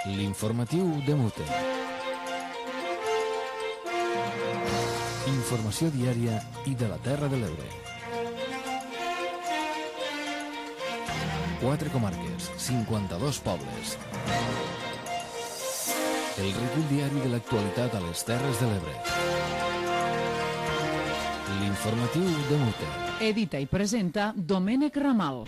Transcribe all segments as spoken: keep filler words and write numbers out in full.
L'informatiu de Mute. Informació diària i de la Terra de l'Ebre. Quatre comarques, cinquanta-dos pobles. El recull diari de l'actualitat a les Terres de l'Ebre. L'informatiu de Mute. Edita i presenta Domènec Ramal.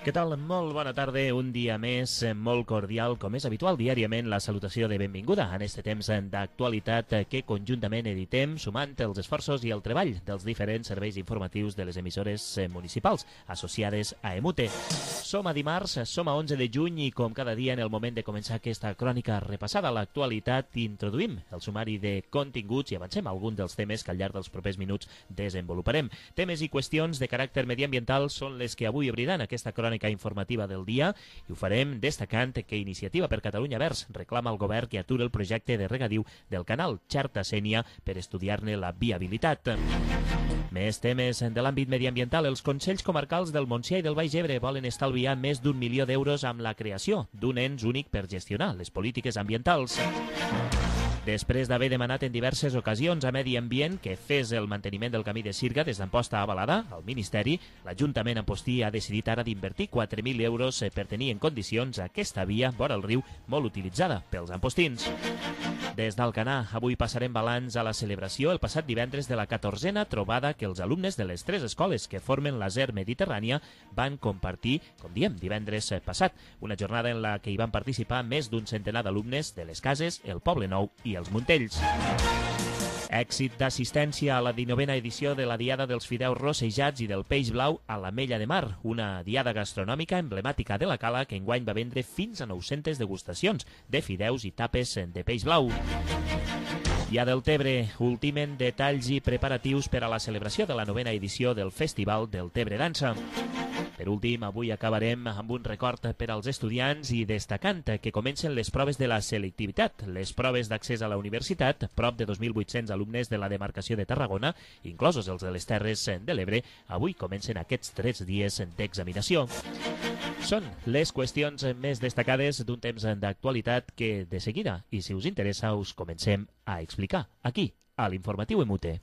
Què tal? Molt bona tarda, un dia més, molt cordial, com és habitual diàriament, la salutació de benvinguda en este temps d'actualitat que conjuntament editem, sumant els esforços i el treball dels diferents serveis informatius de les emissores municipals associades a Emute. Som a dimarts, som a onze de juny i com cada dia en el moment de començar aquesta crònica repassada a l'actualitat, introduïm el sumari de continguts i avancem alguns dels temes que al llarg dels propers minuts desenvoluparem. Temes i qüestions de caràcter mediambiental són les que avui obriran aquesta crònica informativa del dia i ho farem destacant que Iniciativa per Catalunya Verds reclama al govern que aturi el projecte de regadiu del canal Xerta-Sénia per estudiar-ne la viabilitat. Més temes de l'àmbit mediambiental. Els Consells Comarcals del Montsià i del Baix Ebre volen estalviar més d'un milió d'euros amb la creació d'un ens únic per gestionar les polítiques ambientals. Després d'haver demanat en diverses ocasions a Medi Ambient que fes el manteniment del camí de Sirga des d'Amposta a Balada, al Ministeri, l'Ajuntament Ampostí ha decidit ara d'invertir quatre mil euros per tenir en condicions aquesta via vora el riu molt utilitzada pels ampostins. Des d'Alcanar, avui passarem balanç a la celebració el passat divendres de la catorzena trobada que els alumnes de les tres escoles que formen la Z E R Mediterrània van compartir, com diem, divendres passat. Una jornada en la que hi van participar més d'un centenar d'alumnes de les Cases, el Poble Nou i els Montells. Èxit d'assistència a la dinovena edició de la Diada dels Fideus Rossejats i del Peix Blau a l'Ametlla de Mar, una diada gastronòmica emblemàtica de la Cala que enguany va vendre fins a nou-centes degustacions de fideus i tapes de peix blau. I a Deltebre ultimen detalls i preparatius per a la celebració de la novena edició del Festival del Tebre Dansa. Per últim, avui acabarem amb un record per als estudiants i destacant que comencen les proves de la selectivitat, les proves d'accés a la universitat, prop de dos mil vuit-cents alumnes de la demarcació de Tarragona, inclosos els de les Terres de l'Ebre, avui comencen aquests tres dies d'examinació. Són les qüestions més destacades d'un temps d'actualitat que, de seguida, i si us interessa, us comencem a explicar aquí, a l'Informatiu Emute.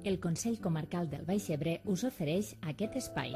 El Consell Comarcal del Baix Ebre us ofereix aquest espai.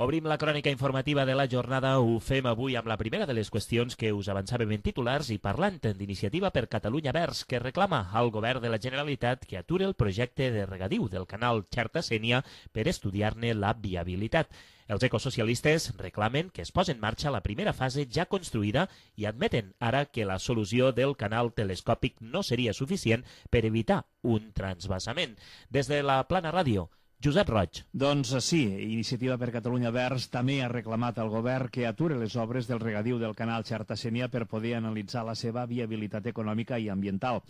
Obrim la crònica informativa de la jornada. Ho fem avui amb la primera de les qüestions que us avançàvem en titulars i parlant d'Iniciativa per Catalunya Verds, que reclama al govern de la Generalitat que aturi el projecte de regadiu del canal Xerta-Sénia per estudiar-ne la viabilitat. Els ecosocialistes reclamen que es posi en marxa la primera fase ja construïda i admeten ara que la solució del canal telescòpic no seria suficient per evitar un transvasament. Des de la Plana Ràdio, Josep Roig. Doncs sí, Iniciativa per Catalunya Verds també ha reclamat al govern que ature les obres del regadiu del canal Xerta-Sénia per poder analitzar la seva viabilitat econòmica i ambiental.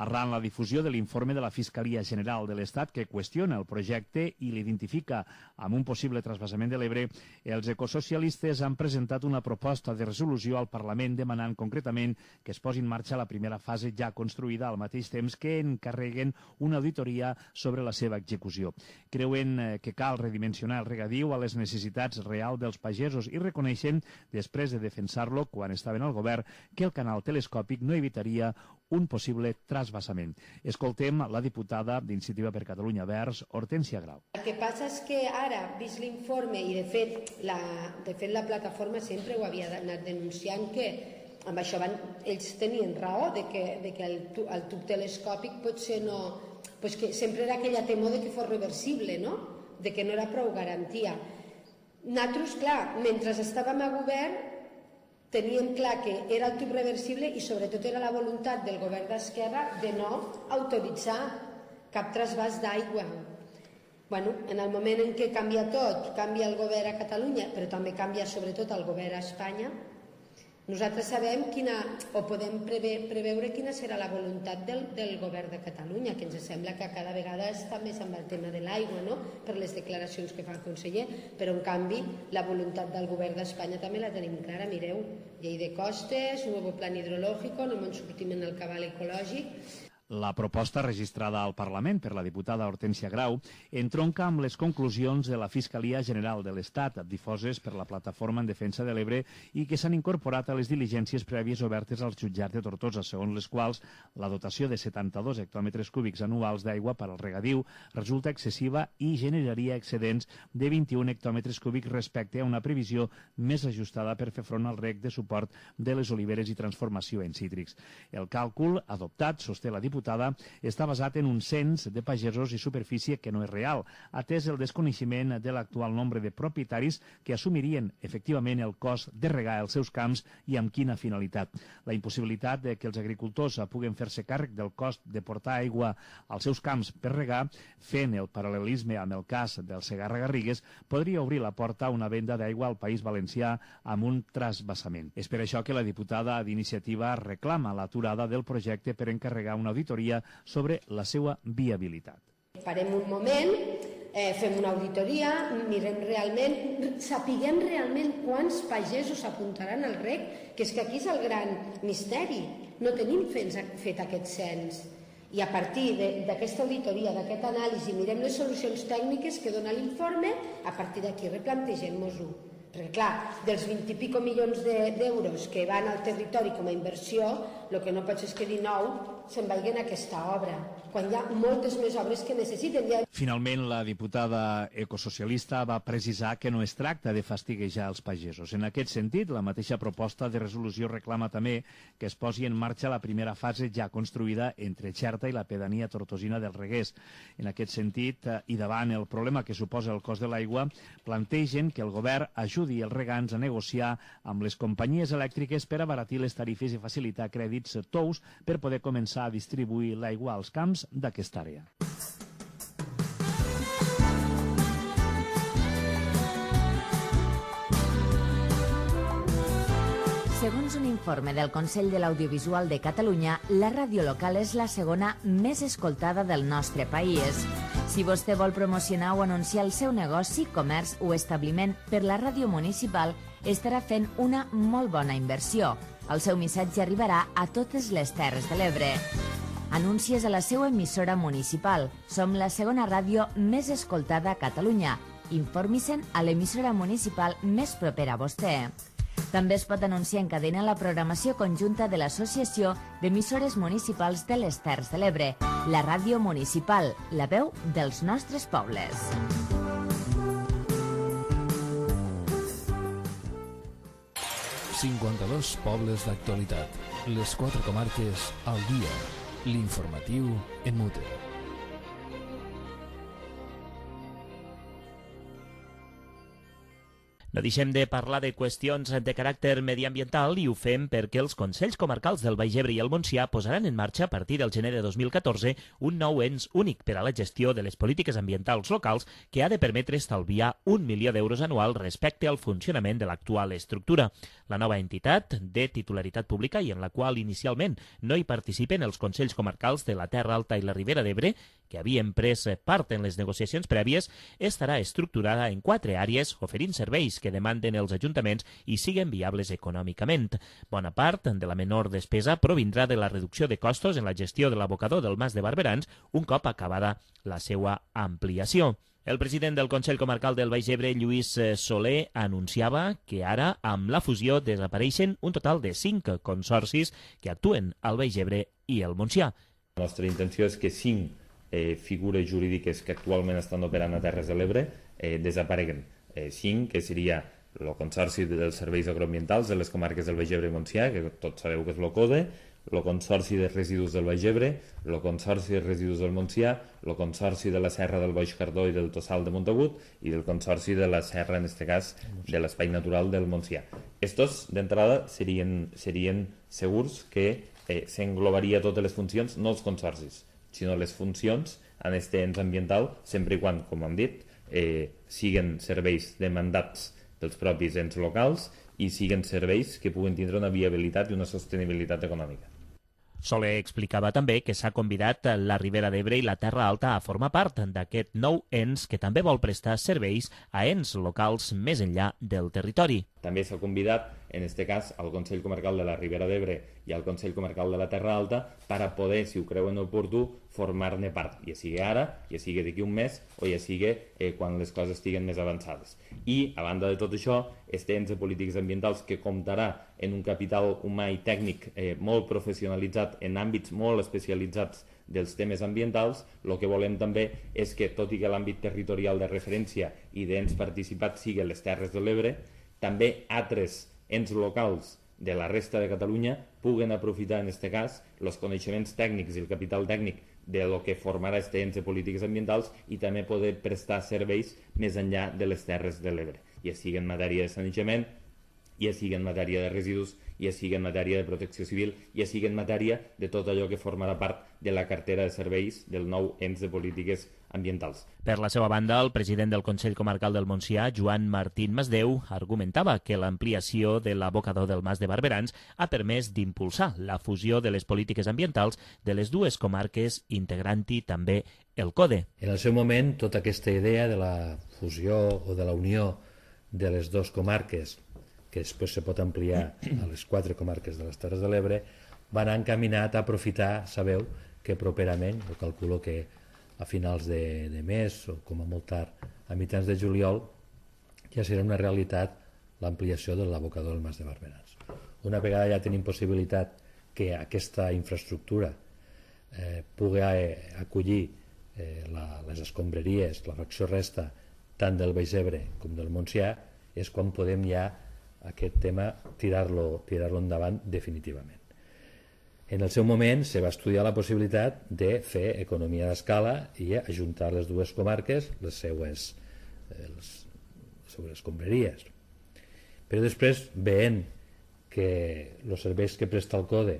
Arran la difusió de l'informe de la Fiscalia General de l'Estat que qüestiona el projecte i l'identifica amb un possible transvasament de l'Ebre, els ecosocialistes han presentat una proposta de resolució al Parlament demanant concretament que es posi en marxa la primera fase ja construïda al mateix temps que encarreguen una auditoria sobre la seva execució. Creuen que cal redimensionar el regadiu a les necessitats reals dels pagesos i reconeixen, després de defensar-lo quan estaven al govern, que el canal telescòpic no evitaria un possible transvasament. Escoltem la diputada d'Iniciativa per Catalunya Verds, Hortènsia Grau. El que passa és que ara, vist l'informe, i de fet la, de fet la plataforma sempre ho havia anat denunciant, que amb això van, ells tenien raó de que, de que el, el tub telescòpic potser no... Pues que sempre era aquella temor de que fos reversible, no? De que no era prou garantia. Nosaltres, clar, mentre estàvem a govern, teníem clar que era el tub reversible i sobretot era la voluntat del govern d'Esquerra de no autoritzar cap trasbàs d'aigua. Bueno, en el moment en què canvia tot, canvia el govern a Catalunya, però també canvia sobretot el govern a Espanya, Nosaltres sabem quina, o podem preve, preveure quina serà la voluntat del, del govern de Catalunya, que ens sembla que cada vegada està més amb el tema de l'aigua, no? Per les declaracions que fa el conseller, però en canvi la voluntat del govern d'Espanya també la tenim clara. Mireu, llei de costes, nou plan hidrològic, no ens sortim en el cabal ecològic. La proposta registrada al Parlament per la diputada Hortènsia Grau entronca amb les conclusions de la Fiscalia General de l'Estat, difoses per la Plataforma en Defensa de l'Ebre i que s'han incorporat a les diligències prèvies obertes als jutjats de Tortosa, segons les quals la dotació de setanta-dos hectòmetres cúbics anuals d'aigua per al regadiu resulta excessiva i generaria excedents de vint-i-un hectòmetres cúbics respecte a una previsió més ajustada per fer front al reg de suport de les oliveres i transformació en cítrics. El càlcul adoptat, sosté la diputada, està basat en un cens de pagesos i superfície que no és real, atès el desconeixement de l'actual nombre de propietaris que assumirien efectivament el cost de regar els seus camps i amb quina finalitat. La impossibilitat de que els agricultors puguen fer-se càrrec del cost de portar aigua als seus camps per regar, fent el paral·lelisme amb el cas del Segarra-Garrigues, podria obrir la porta a una venda d'aigua al País Valencià amb un trasbassament. És per això que la diputada d'Iniciativa reclama l'aturada del projecte per encarregar una auditoria sobre la seva viabilitat. Parem un moment, eh, fem una auditoria, mirem realment, sapiguem realment quants pagesos apuntaran al reg, que és que aquí és el gran misteri. No tenim fet aquest cens. I a partir d'aquesta auditoria, d'aquest anàlisi, mirem les solucions tècniques que dona l'informe, a partir d'aquí replantegem-nos-ho. Perquè, clar, dels vint i pico milions d'euros que van al territori com a inversió, el que no pot ser és que dinou se'n vagin a aquesta obra, quan hi ha moltes més obres que necessiten. Finalment, la diputada ecosocialista va precisar que no es tracta de fastiguejar els pagesos. En aquest sentit, la mateixa proposta de resolució reclama també que es posi en marxa la primera fase ja construïda entre Xerta i la pedania tortosina del Reguers. En aquest sentit, i davant el problema que suposa el cost de l'aigua, plantegen que el govern ajudi els regants a negociar amb les companyies elèctriques per abaratir les tarifes i facilitar crèdits tous per poder començar a distribuir l'aigua als camps d'aquesta àrea. Segons un informe del Consell de l'Audiovisual de Catalunya, la ràdio local és la segona més escoltada del nostre país. Si vostè vol promocionar o anunciar el seu negoci, comerç o establiment per la ràdio municipal, estarà fent una molt bona inversió. El seu missatge arribarà a totes les Terres de l'Ebre. Anuncies a la seva emissora municipal. Som la segona ràdio més escoltada a Catalunya. Informi-se'n a l'emissora municipal més propera a vostè. També es pot anunciar en cadena la programació conjunta de l'Associació d'Emissores Municipals de les Terres de l'Ebre, la ràdio municipal, la veu dels nostres pobles. cinquanta-dos pobles d'actualitat. Les quatre comarques al dia. L'informatiu en mute. No deixem de parlar de qüestions de caràcter mediambiental i ho fem perquè els Consells Comarcals del Baix Ebre i el Montsià posaran en marxa a partir del gener de dos mil catorze un nou ens únic per a la gestió de les polítiques ambientals locals que ha de permetre estalviar un milió d'euros anual respecte al funcionament de l'actual estructura. La nova entitat, de titularitat pública i en la qual inicialment no hi participen els Consells Comarcals de la Terra Alta i la Ribera d'Ebre, que havien pres part en les negociacions prèvies, estarà estructurada en quatre àrees oferint serveis que demanden els ajuntaments i siguen viables econòmicament. Bona part de la menor despesa provindrà de la reducció de costos en la gestió de l'abocador del Mas de Barberans un cop acabada la seva ampliació. El president del Consell Comarcal del Baix Ebre, Lluís Soler, anunciava que ara, amb la fusió, desapareixen un total de cinc consorcis que actuen al Baix Ebre i el Montsià. La nostra intenció és que cinc eh, figures jurídiques que actualment estan operant a Terres de l'Ebre eh, desapareguen. Eh, cinc, que seria el Consorci dels Serveis Agroambientals de les comarques del Baix Ebre i Montsià, que tots sabeu que és l'O C O D E, el Consorci de Residus del Baix Ebre, el Consorci de Residus del Montsià, el Consorci de la Serra del Baix Cardó i del Tossal de Montagut i el Consorci de la Serra, en aquest cas, de l'Espai Natural del Montsià. Estos, d'entrada, serien, serien segurs que eh, s'englobaria totes les funcions, no els consorcis, sinó les funcions en aquest ens ambiental, sempre i quan, com hem dit, eh, siguen serveis demandats dels propis ens locals i siguin serveis que puguen tindre una viabilitat i una sostenibilitat econòmica. Soler explicava també que s'ha convidat la Ribera d'Ebre i la Terra Alta a formar part d'aquest nou ens que també vol prestar serveis a ens locals més enllà del territori. També s'ha convidat, en aquest cas, al Consell Comarcal de la Ribera d'Ebre i al Consell Comarcal de la Terra Alta per a poder, si ho creuen oportú, formar-ne part, ja sigui ara, ja sigui d'aquí un mes o ja sigui eh, quan les coses estiguen més avançades. I, a banda de tot això, este ens de polítiques ambientals que comptarà en un capital humà i tècnic eh, molt professionalitzat en àmbits molt especialitzats dels temes ambientals, el que volem també és que, tot i que l'àmbit territorial de referència i d'ens participats sigui les Terres de l'Ebre, també altres ens locals de la resta de Catalunya puguen aprofitar, en aquest cas, els coneixements tècnics i el capital tècnic de lo que formarà este ens de polítiques ambientals i també poder prestar serveis més enllà de les Terres de l'Ebre, ja sigui en matèria de sanejament, ja sigui en matèria de residus, ja sigui en matèria de protecció civil, ja sigui en matèria de tot allò que formarà part de la cartera de serveis del nou ens de polítiques ambientals. Per la seva banda, el president del Consell Comarcal del Montsià, Joan Martín Masdeu, argumentava que l'ampliació de l'abocador del Mas de Barberans ha permès d'impulsar la fusió de les polítiques ambientals de les dues comarques, integrant-hi també el CODE. En el seu moment, tota aquesta idea de la fusió o de la unió de les dues comarques, que després se pot ampliar a les quatre comarques de les Terres de l'Ebre, va anar encaminat a aprofitar, sabeu, que properament, jo calculo que a finals de, de mes o com a molt tard, a mitjans de juliol, ja serà una realitat l'ampliació de l'abocador del Mas de Barberans. Una vegada ja tenim possibilitat que aquesta infraestructura eh, pugui acollir eh, la, les escombraries, la fracció resta, tant del Baix Ebre com del Montsià, és quan podem ja aquest tema tirar-lo tirar-lo endavant definitivament. En el seu moment se va estudiar la possibilitat de fer economia d'escala i ajuntar les dues comarques, les seues, eh, les seues escombraries. Però després, veient que els serveis que presta el CODE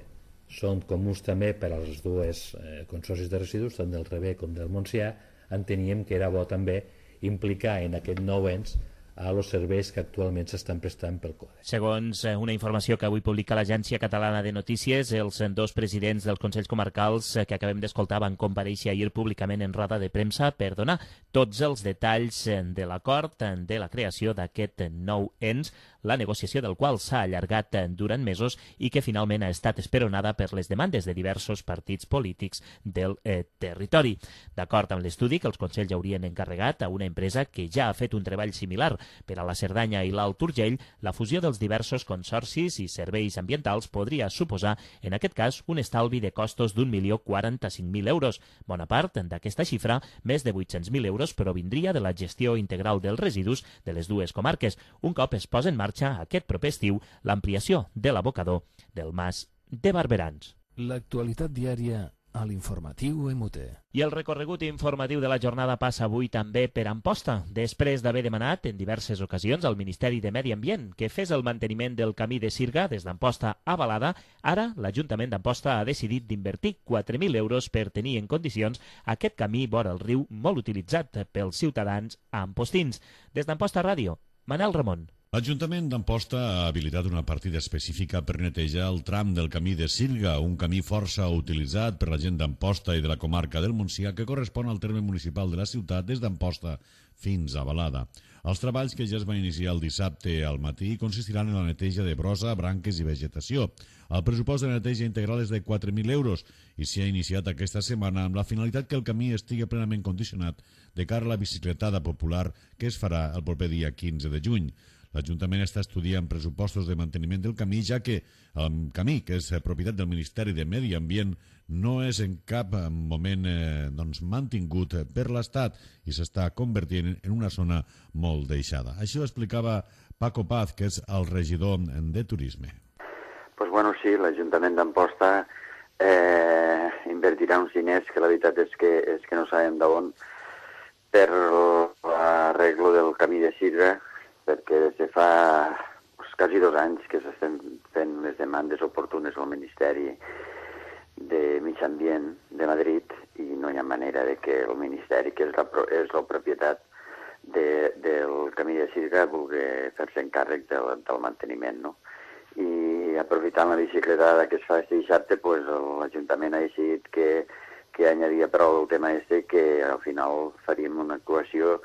són comuns també per als dues eh, consorcis de residus, tant del Rebé com del Montsià, enteníem que era bo també implicar en aquest nou ens a els serveis que actualment s'estan prestant pel CODE. Segons una informació que avui publica l'Agència Catalana de Notícies, els dos presidents dels Consells Comarcals que acabem d'escoltar van comparèixer ahir públicament en roda de premsa per donar tots els detalls de l'acord de la creació d'aquest nou ens, la negociació del qual s'ha allargat durant mesos i que finalment ha estat esperonada per les demandes de diversos partits polítics del eh, territori. D'acord amb l'estudi que els Consells haurien encarregat a una empresa que ja ha fet un treball similar per a la Cerdanya i l'Alt Urgell, la fusió dels diversos consorcis i serveis ambientals podria suposar, en aquest cas, un estalvi de costos d'un milió quaranta-cinc mil euros. Bona part d'aquesta xifra, més de vuit-cents mil euros, provindria de la gestió integral dels residus de les dues comarques, un cop es posa en marxa aquest proper estiu l'ampliació de l'abocador del Mas de Barberans. L'actualitat diària a l'informatiu E M U T E. I el recorregut informatiu de la jornada passa avui també per Amposta, després d'haver demanat en diverses ocasions al Ministeri de Medi Ambient que fes el manteniment del camí de Sirga des d'Amposta a Balada. Ara l'Ajuntament d'Amposta ha decidit d'invertir quatre mil euros per tenir en condicions aquest camí vora el riu molt utilitzat pels ciutadans ampostins. Des d'Amposta Ràdio, Manel Ramon. L'Ajuntament d'Amposta ha habilitat una partida específica per netejar el tram del camí de Sirga, un camí força utilitzat per la gent d'Amposta i de la comarca del Montsià que correspon al terme municipal de la ciutat des d'Amposta fins a Balada. Els treballs que ja es van iniciar el dissabte al matí consistiran en la neteja de brossa, branques i vegetació. El pressupost de neteja integral és de quatre mil euros i s'ha iniciat aquesta setmana amb la finalitat que el camí estigui plenament condicionat de cara a la bicicletada popular que es farà el proper dia quinze de juny. L'Ajuntament està estudiant pressupostos de manteniment del camí, ja que el camí, que és propietat del Ministeri de Medi Ambient, no és en cap moment eh, doncs, mantingut per l'Estat i s'està convertint en una zona molt deixada. Això explicava Paco Paz, que és el regidor de Turisme. Pues bueno, sí, l'Ajuntament d'Amposta eh, invertirà uns diners que la veritat és que, és que no sabem d'on per l'arreglo del camí de Sirga, perquè des de fa pues, quasi dos anys que s'estan fent les demandes oportunes al Ministeri de Mig Ambient de Madrid i no hi ha manera de que el Ministeri, que és la, és la propietat, de, del camí de Sirga vulgui fer-se encàrrec del, del manteniment, no? I aprofitant la bicicletada que es fa este dissabte, pues, l'Ajuntament ha decidit que, que añadia prou el tema este, que al final faríem una actuació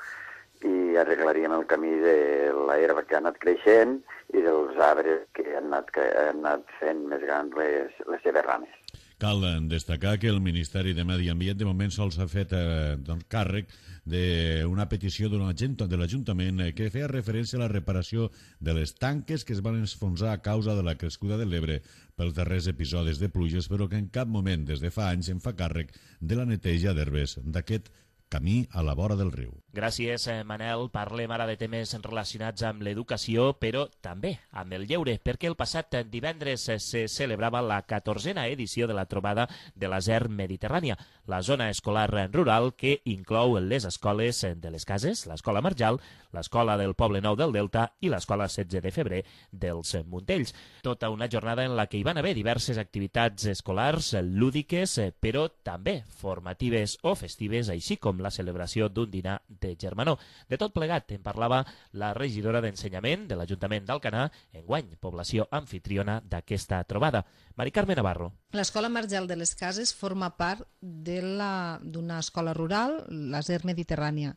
i arreglaríem el camí de l'herba que ha anat creixent i dels arbres que han anat, que han anat fent més grans les, les seves rames. Cal destacar que el Ministeri de Medi Ambient de moment sols ha fet eh, doncs, càrrec d'una petició d'un agent de l'Ajuntament que feia referència a la reparació de les tanques que es van enfonsar a causa de la crescuda de l'Ebre pels darrers episodis de pluges, però que en cap moment des de fa anys en fa càrrec de la neteja d'herbes d'aquest camí a la vora del riu. Gràcies, Manel. Parlem ara de temes relacionats amb l'educació, però també amb el lleure, perquè el passat divendres se celebrava la catorzena edició de la trobada de la Z E R Mediterrània, la zona escolar rural que inclou les escoles de les Cases, l'Escola Marjal, l'Escola del Poble Nou del Delta i l'Escola setze de febrer dels Montells. Tota una jornada en la que hi van haver diverses activitats escolars, lúdiques, però també formatives o festives, així com la celebració d'un dinar de germanor. De tot plegat en parlava la regidora d'Ensenyament de l'Ajuntament d'Alcanar, enguany població anfitriona d'aquesta trobada, Mari Carme Navarro. L'Escola Marjal de les Cases forma part d'una escola rural, la Z E R Mediterrània,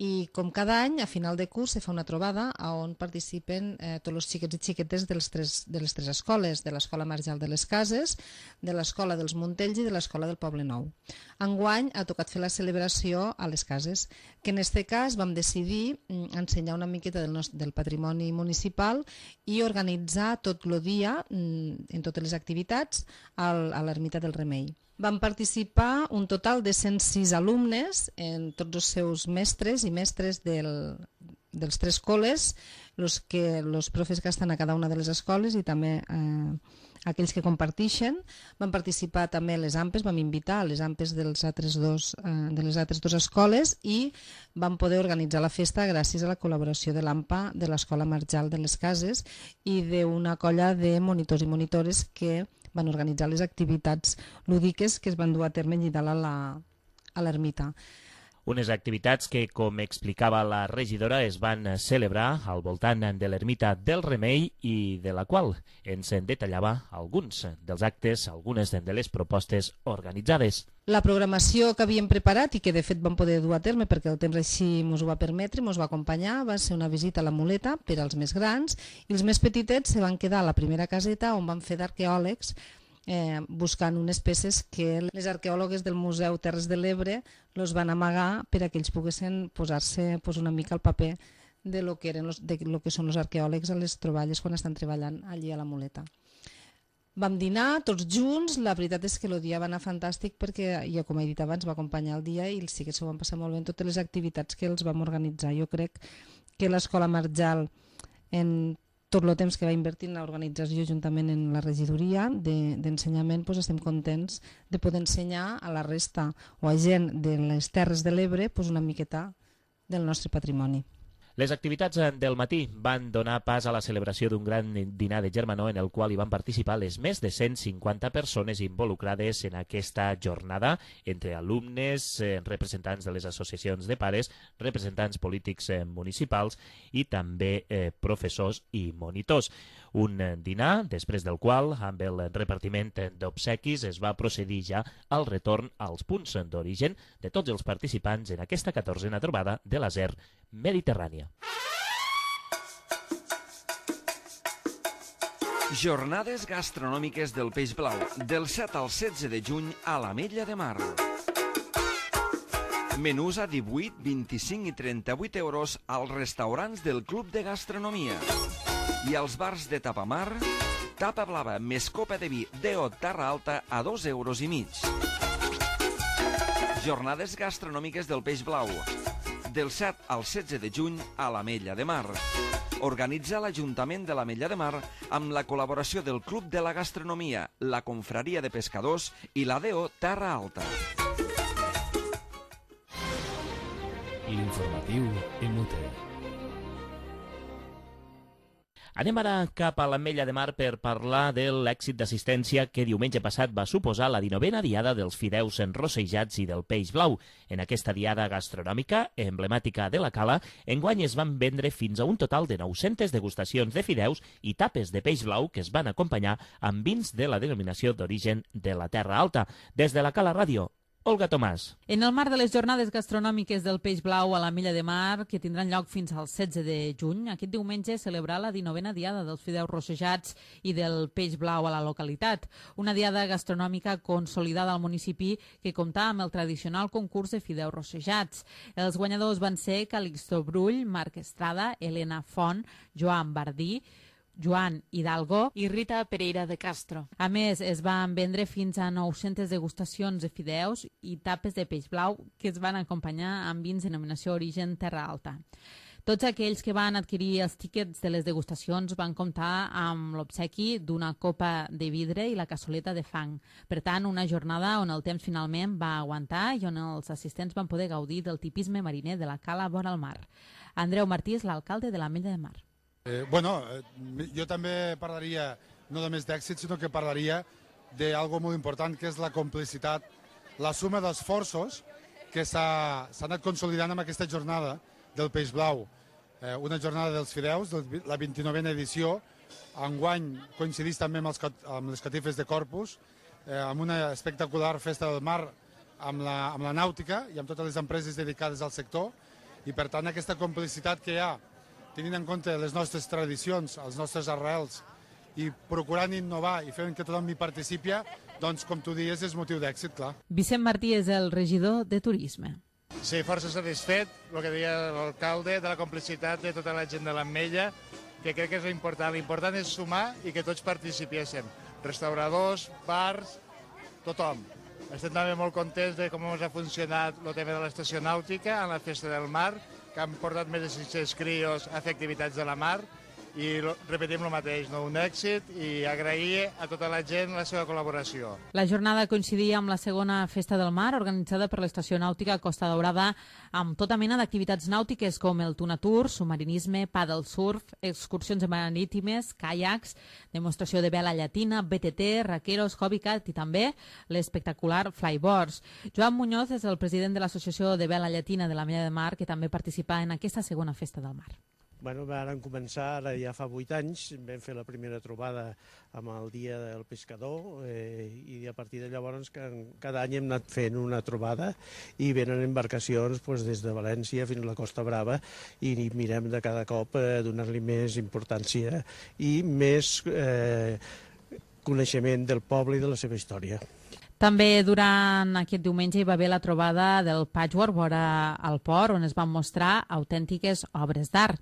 i com cada any, a final de curs, se fa una trobada on participen eh, tots els xiquets i xiquetes de les, tres, de les tres escoles, de l'Escola Marjal de les Cases, de l'Escola dels Montells i de l'Escola del Poble Nou. Enguany ha tocat fer la celebració a les Cases, que en aquest cas vam decidir ensenyar una miqueta del, nostre, del patrimoni municipal i organitzar tot el dia, en totes les activitats, al, a l'Ermita del Remei. Van participar un total de cent sis alumnes, en tots els seus mestres i mestres del, dels tres col·les, els que, los profes que estan a cada una de les escoles i també eh, aquells que comparteixen. Van participar també les A M P Es, vam invitar a les A M P Es dels altres dos, eh, de les altres dues escoles i vam poder organitzar la festa gràcies a la col·laboració de l'A M P A, de l'Escola Marjal de les Cases i d'una colla de monitors i monitores que van organitzar les activitats lúdiques que es van dur a terme allà dalt a l'ermita. Unes activitats que, com explicava la regidora, es van celebrar al voltant de l'ermita del Remei i de la qual ens detallava alguns dels actes, algunes de les propostes organitzades. La programació que havíem preparat i que de fet vam poder dur a terme perquè el temps així ens ho va permetre, ens va acompanyar, va ser una visita a la muleta per als més grans i els més petitets se van quedar a la primera caseta on van fer d'arqueòlegs eh, buscant unes peces que les arqueòlogues del Museu Terres de l'Ebre los van amagar per a que ells poguessin posar-se pues, una mica al paper de lo que, eren los, de lo que són els arqueòlegs a les troballes quan estan treballant allí a la muleta. Vam dinar tots junts, la veritat és que el dia va anar fantàstic perquè, ja com he dit abans, va acompanyar el dia i els xiquets s'ho van passar molt bé en totes les activitats que els vam organitzar. Jo crec que l'Escola Marjal, en tot el temps que va invertir en l'organització juntament en la regidoria d'ensenyament, doncs estem contents de poder ensenyar a la resta o a gent de les Terres de l'Ebre una miqueta del nostre patrimoni. Les activitats del matí van donar pas a la celebració d'un gran dinar de germanor en el qual hi van participar les més de cent cinquanta persones involucrades en aquesta jornada, entre alumnes, representants de les associacions de pares, representants polítics municipals i també eh, professors i monitors. Un dinar, després del qual, amb el repartiment d'obsequis, es va procedir ja al retorn als punts d'origen de tots els participants en aquesta catorzena trobada de la Z E R Mediterrània. Jornades gastronòmiques del Peix Blau, del set al setze de juny a l'Ametlla de Mar. Menús a divuit, vint-i-cinc i trenta-vuit euros als restaurants del Club de Gastronomia. I als bars de Tapamar, tapa blava més copa de vi D O Terra Alta a dos euros i mig. Jornades gastronòmiques del Peix Blau, del set al setze de juny a l'Ametlla de Mar. Organitza l'Ajuntament de l'Ametlla de Mar amb la col·laboració del Club de la Gastronomia, la Confraria de Pescadors i la D O Terra Alta. L'informatiu Inútil. Anem ara cap a l'Ametlla de Mar per parlar de l'èxit d'assistència que diumenge passat va suposar la dinovena diada dels fideus enrossejats i del peix blau. En aquesta diada gastronòmica, emblemàtica de la Cala, enguany es van vendre fins a un total de nou-centes degustacions de fideus i tapes de peix blau que es van acompanyar amb vins de la denominació d'origen de la Terra Alta. Des de la Cala Ràdio, Olga Tomàs. En el marc de les jornades gastronòmiques del Peix Blau a l'Ametlla de Mar, que tindran lloc fins al setze de juny, aquest diumenge celebrar la dinovena diada dels fideus rossejats i del Peix Blau a la localitat. Una diada gastronòmica consolidada al municipi que compta amb el tradicional concurs de fideus rossejats. Els guanyadors van ser Calixto Brull, Marc Estrada, Helena Font, Joan Bardí, Joan Hidalgo i Rita Pereira de Castro. A més, es van vendre fins a nou-centes degustacions de fideus i tapes de peix blau que es van acompanyar amb vins denominació origen Terra Alta. Tots aquells que van adquirir els tíquets de les degustacions van comptar amb l'obsequi d'una copa de vidre i la cassoleta de fang. Per tant, una jornada on el temps finalment va aguantar i on els assistents van poder gaudir del tipisme mariner de la Cala vora el mar. Andreu Martí és l'alcalde de l'Ametlla de Mar. Eh, bueno, eh, jo també parlaria no només d'èxit, sinó que parlaria d'algo molt important, que és la complicitat, la suma d'esforços que s'ha anat consolidant amb aquesta jornada del Peix Blau. Eh, una jornada dels fideus, de la vint-i-novena edició, enguany coincidís també amb, els, amb les catifes de Corpus, eh, amb una espectacular festa del mar amb la, amb la nàutica i amb totes les empreses dedicades al sector, i per tant aquesta complicitat que hi ha, tenint en compte les nostres tradicions, els nostres arrels, i procurant innovar i fent que tothom hi participi, doncs, com tu dius, és motiu d'èxit, clar. Vicent Martí és el regidor de Turisme. Sí, força satisfet, el que deia l'alcalde, de la complicitat de tota la gent de l'Ametlla, que crec que és important. L'important és sumar i que tots participéssim. Restauradors, bars, tothom. Estem també molt contents de com ha funcionat el tema de l'estació nàutica en la Festa del Mar, que han portat més de cinc-cents crios a fer activitats de la mar, i repetim el mateix, no? Un èxit, i agrair a tota la gent la seva col·laboració. La jornada coincidia amb la segona Festa del Mar, organitzada per l'Estació Nàutica Costa Daurada, amb tota mena d'activitats nàutiques com el tuna tour, submarinisme, paddle surf, excursions marítimes, caiacs, demostració de vela llatina, B T T, raqueros, hobbycat i també l'espectacular flyboards. Joan Muñoz és el president de l'Associació de Vela Llatina de l'Ametlla de Mar, que també participa en aquesta segona Festa del Mar. Bueno, vam començar, ara ja fa vuit anys, vam fer la primera trobada amb el Dia del Pescador eh, i a partir de llavors cada any hem anat fent una trobada i venen embarcacions pues, des de València fins a la Costa Brava i mirem de cada cop eh, donar-li més importància i més eh, coneixement del poble i de la seva història. També durant aquest diumenge hi va haver la trobada del Patchwork vora al port, on es van mostrar autèntiques obres d'art.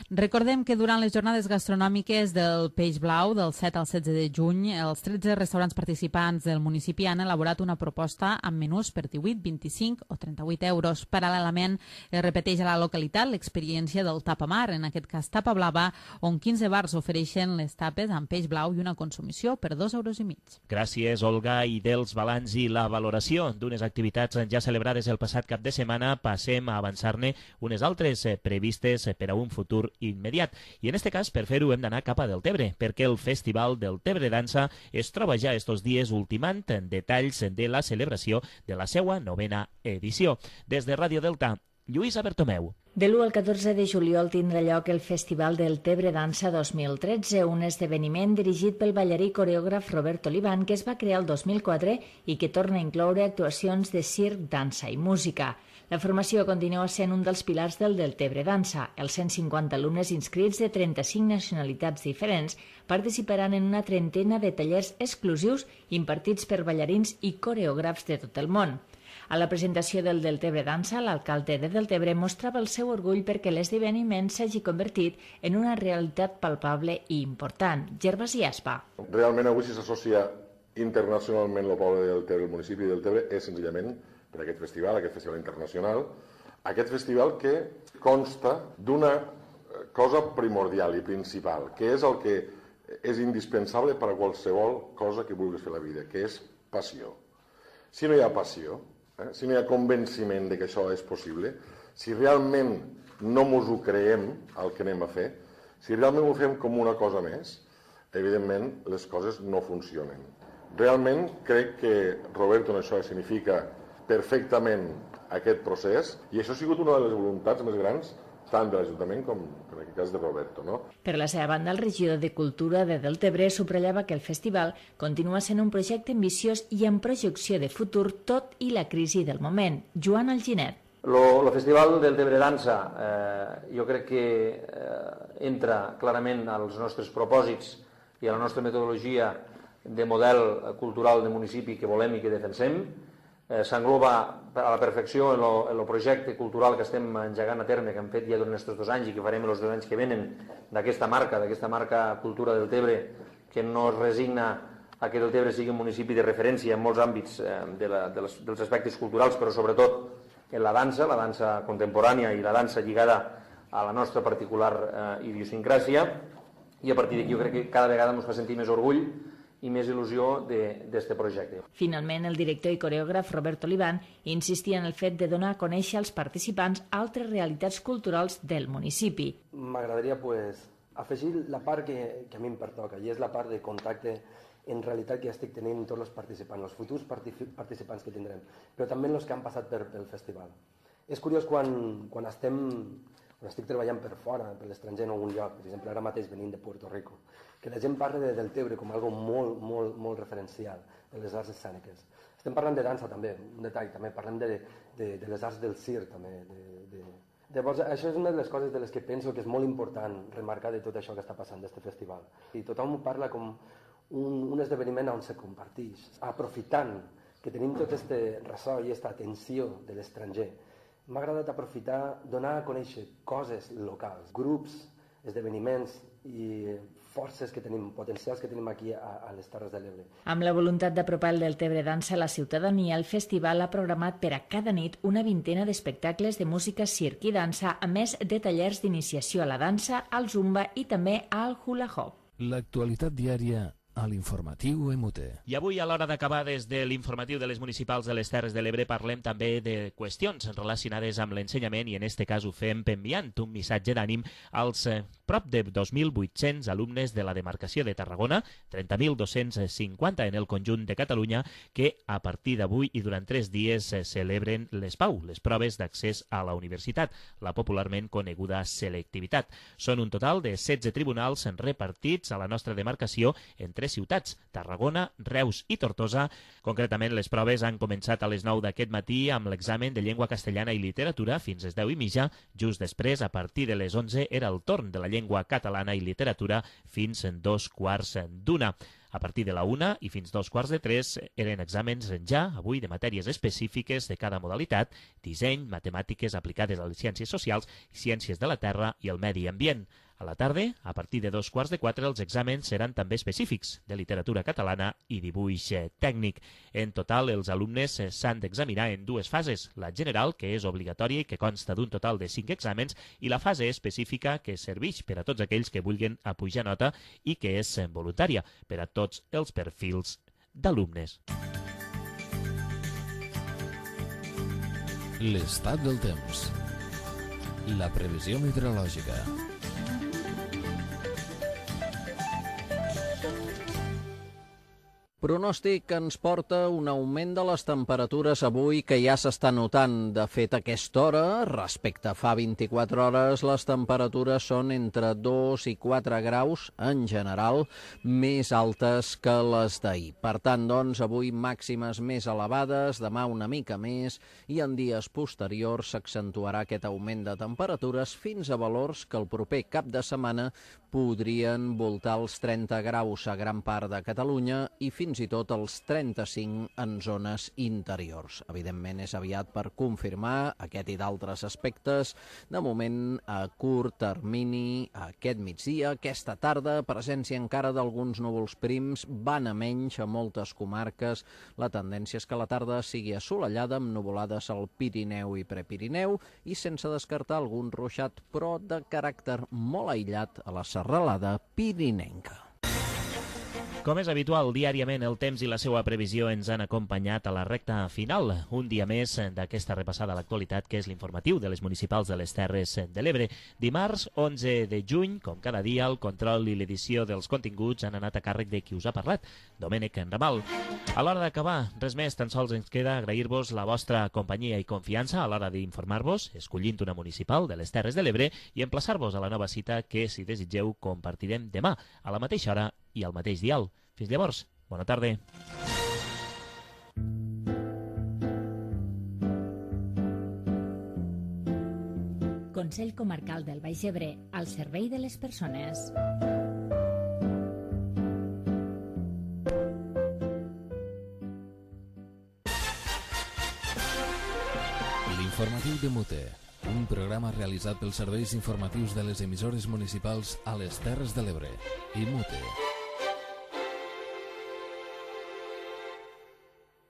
Recordem que durant les jornades gastronòmiques del Peix Blau, del set al setze de juny, els tretze restaurants participants del municipi han elaborat una proposta amb menús per divuit, vint-i-cinc o trenta-vuit euros. Paral·lelament, es repeteix a la localitat l'experiència del tapamar, en aquest cas tapa blava, on quinze bars ofereixen les tapes amb peix blau i una consumició per dos euros i mig. Gràcies, Olga, i dels balanç i la valoració d'unes activitats ja celebrades el passat cap de setmana, passem a avançar-ne unes altres previstes per a un futur immediat. I en aquest cas, per fer-ho, hem d'anar cap a Deltebre, perquè el Festival del Tebre Dansa es troba ja estos dies ultimant detalls de la celebració de la seua novena edició. Des de Ràdio Delta, Lluïsa Bertomeu. De l'u al catorze de juliol tindrà lloc el Festival del Tebre Dansa dos mil tretze, un esdeveniment dirigit pel ballarí i coreògraf Robert Olivan, que es va crear el dos mil quatre i que torna a incloure actuacions de circ, dansa i música. La formació continua sent un dels pilars del Deltebre Dansa. Els cent cinquanta alumnes inscrits de trenta-cinc nacionalitats diferents participaran en una trentena de tallers exclusius impartits per ballarins i coreògrafs de tot el món. A la presentació del Deltebre Dansa, l'alcalde de Deltebre mostrava el seu orgull perquè l'esdeveniment s'hagi convertit en una realitat palpable i important. Gervasi Aspa. Realment avui si s'associa internacionalment el poble de Deltebre, el municipi de Deltebre, és senzillament per aquest festival, aquest festival internacional, aquest festival que consta d'una cosa primordial i principal, que és el que és indispensable per a qualsevol cosa que vulguis fer a la vida, que és passió. Si no hi ha passió, eh, si no hi ha convenciment de que això és possible, si realment no mos ho creiem el que anem a fer, Si realment ho fem com una cosa més, evidentment les coses no funcionen. Realment crec que Roberto en això significa perfectament aquest procés i això ha sigut una de les voluntats més grans tant de l'Ajuntament com en aquest cas de Roberto, no? Per la seva banda, el regidor de Cultura de Deltebre subratllava que el festival continua sent un projecte ambiciós i amb projecció de futur tot i la crisi del moment. Joan Alginet. Lo, lo Festival Deltebre Dansa eh, jo crec que eh, entra clarament als nostres propòsits i a la nostra metodologia de model cultural de municipi que volem i que defensem. Eh, S'engloba a la perfecció en el projecte cultural que estem engegant a terme, que hem fet ja durant aquests dos anys i que farem els dos anys que venen d'aquesta marca, d'aquesta marca Cultura Deltebre, que no es resigna a que Deltebre sigui un municipi de referència en molts àmbits eh, de la, de les, dels aspectes culturals, però sobretot en la dansa, la dansa contemporània i la dansa lligada a la nostra particular eh, idiosincràsia, i a partir d'aquí jo crec que cada vegada ens fa sentir més orgull i més il·lusió d'aquest projecte. Finalment, el director i coreògraf Robert Olivan insistia en el fet de donar a conèixer als participants altres realitats culturals del municipi. M'agradaria pues, afegir la part que, que a mi em pertoca, i és la part de contacte en realitat que estic tenint amb tots els participants, els futurs participants que tindrem, però també els que han passat per, pel festival. És curiós quan, quan estem... quan estic treballant per fora, per l'estranger en algun lloc, per exemple, ara mateix venint de Puerto Rico, que la gent parla de Deltebre com algo molt, molt, molt referencial de les arts escèniques. Estem parlant de dansa també, un detall també, parlem de, de, de les arts del circ també. De, de... Llavors, això és una de les coses de les que penso que és molt important remarcar de tot això que està passant d'aquest festival. I tothom parla com un, un esdeveniment on se comparteix, aprofitant que tenim tot aquest ressò i aquesta atenció de l'estranger. M'ha agradat aprofitar, donar a conèixer coses locals, grups, esdeveniments i forces que tenim, potencials que tenim aquí a, a les Terres de l'Ebre. Amb la voluntat d'apropar el Deltebre Dansa a la ciutadania, el festival ha programat per a cada nit una vintena d'espectacles de música, circ i dansa, a més de tallers d'iniciació a la dansa, al zumba i també al hula hop. L'actualitat diària a l'informatiu M U T. I avui, a l'hora d'acabar des de l'informatiu de les municipals de les Terres de l'Ebre, parlem també de qüestions relacionades amb l'ensenyament i en este cas ho fem enviant un missatge d'ànim als eh, prop de dos mil vuit-cents alumnes de la demarcació de Tarragona, trenta mil dos-cents cinquanta en el conjunt de Catalunya, que a partir d'avui i durant tres dies eh, celebren les PAU, les proves d'accés a la universitat, la popularment coneguda selectivitat. Són un total de setze tribunals repartits a la nostra demarcació en tres ciutats, Tarragona, Reus i Tortosa. Concretament, les proves han començat a les nou d'aquest matí amb l'examen de llengua castellana i literatura fins a les deu i mitja. Just després, a partir de les onze, era el torn de la llengua catalana i literatura fins en dos quarts d'una. A partir de la una i fins dos quarts de tres eren exàmens ja, avui, de matèries específiques de cada modalitat, disseny, matemàtiques aplicades a les ciències socials, ciències de la terra i el medi ambient. A la tarda, a partir de dos quarts de quatre, els exàmens seran també específics de literatura catalana i dibuix tècnic. En total, els alumnes s'han d'examinar en dues fases, la general, que és obligatòria i que consta d'un total de cinc exàmens, i la fase específica, que serveix per a tots aquells que vulguin apujar nota i que és voluntària per a tots els perfils d'alumnes. L'estat del temps. La previsió meteorològica. Pronòstic que ens porta un augment de les temperatures avui que ja s'està notant. De fet, a aquesta hora, respecte a fa vint-i-quatre hores, les temperatures són entre dos i quatre graus, en general, més altes que les d'ahir. Per tant, doncs, avui màximes més elevades, demà una mica més, i en dies posteriors s'accentuarà aquest augment de temperatures fins a valors que el proper cap de setmana podrien voltar els trenta graus a gran part de Catalunya i fins i tot els trenta-cinc en zones interiors. Evidentment, és aviat per confirmar aquest i d'altres aspectes. De moment, a curt termini, aquest migdia, aquesta tarda, presència encara d'alguns núvols prims, van a menys a moltes comarques. La tendència és que la tarda sigui assolellada amb nuvolades al Pirineu i Prepirineu i sense descartar algun ruixat, però de caràcter molt aïllat a la serralada pirinenca. Com és habitual, diàriament el temps i la seva previsió ens han acompanyat a la recta final. Un dia més d'aquesta repassada a l'actualitat, que és l'informatiu de les municipals de les Terres de l'Ebre. Dimarts, onze de juny, com cada dia, el control i l'edició dels continguts han anat a càrrec de qui us ha parlat, Domènec Ramal. A l'hora d'acabar, res més, tan sols ens queda agrair-vos la vostra companyia i confiança a l'hora d'informar-vos, escollint una municipal de les Terres de l'Ebre, i emplaçar-vos a la nova cita que, si desitgeu, compartirem demà, a la mateixa hora i al mateix dial. Fins llavors, bona tarda. Consell Comarcal del Baix Ebre, al servei de les persones. L'informatiu de Mute, un programa realitzat pels serveis informatius de les emissores municipals a les Terres de l'Ebre i Mute.